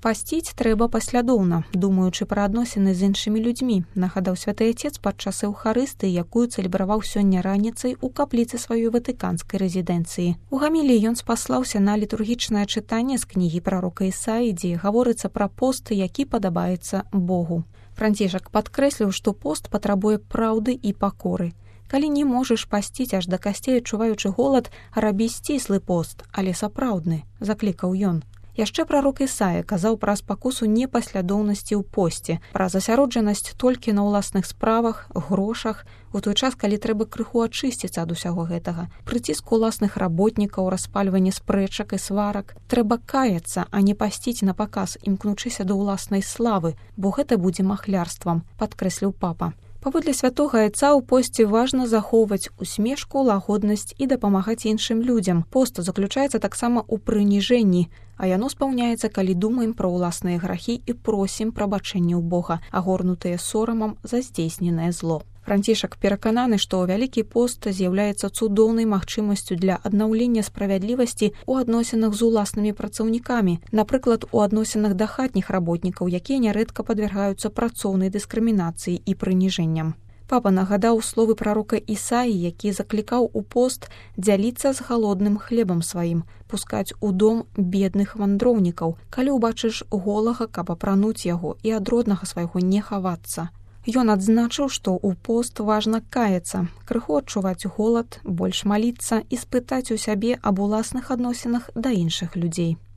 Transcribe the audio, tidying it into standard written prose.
Пасціць трэба паслядоўна, думаючы пра адносіны з іншымі людзьмі, нагадаў святы отец падчас эўхарыстыі, якую цэлебраваў сёння раніцай у капліцы сваёй ватыканскай рэзідэнцыі. У гаміліі ён спаслаўся на літургічнае чытанне з кнігі прарока Ісаі, дзе гаворыцца пра пост, які падабаецца Богу. Францішак падкрэсліў, што пост патрабуе праўды і пакоры. Калі не можаш пасціць аж да касцей, адчуваючы голад, рабі сціслы пост, але сапраўдны, заклікаў ён. Яшчэ прарок Ісая казаў пра спакусу непаслядоўнасці ў посце, пра засяроджанасць толькі на ўласных справах, грошах, у той час, калі трэба крыху ачысціцца ад усяго гэтага. Прыціску ўласных работнікаў, распальванне спрэчак і сварак. Трэба каяцца, а не пасціць на паказ, імкнучыся да ўласнай славы, бо гэта будзе махлярствам, падкрэсліў папа. Паводле святога айца ў посце важна захоўваць усмешку, лагоднасць і дапамагаць іншым людзям. Пост заключаецца таксама ў прыніжэнні, а яно спаўняецца, калі думаем пра ўласныя грахі і просім прабачэння ў Бога, агорнутыя сорамам за здзейсненае зло. Францішак перакананы, што вялікі пост з'яўляецца цудоўнай магчымасцю для аднаўлення справядлівасці ў адносінах з уласнымі працаўнікамі, напрыклад, у адносінах да хатніх работнікаў, якія нярэдка падвяргаюцца працоўнай дыскрымінацыі і прыніжэнням. Папа нагадаў словы прарока Ісаі, які заклікаў у пост дзяліцца з галодным хлебам сваім, пускаць у дом бедных вандроўнікаў, калі ўбачыш голага, каб апрануць яго і ад роднага свайго не хавацца. Ён адзначыў, што ў пост важна каяцца, крыху адчуваць голад, больш маліцца і спытаць у сябе аб уласных адносінах да іншых людзей.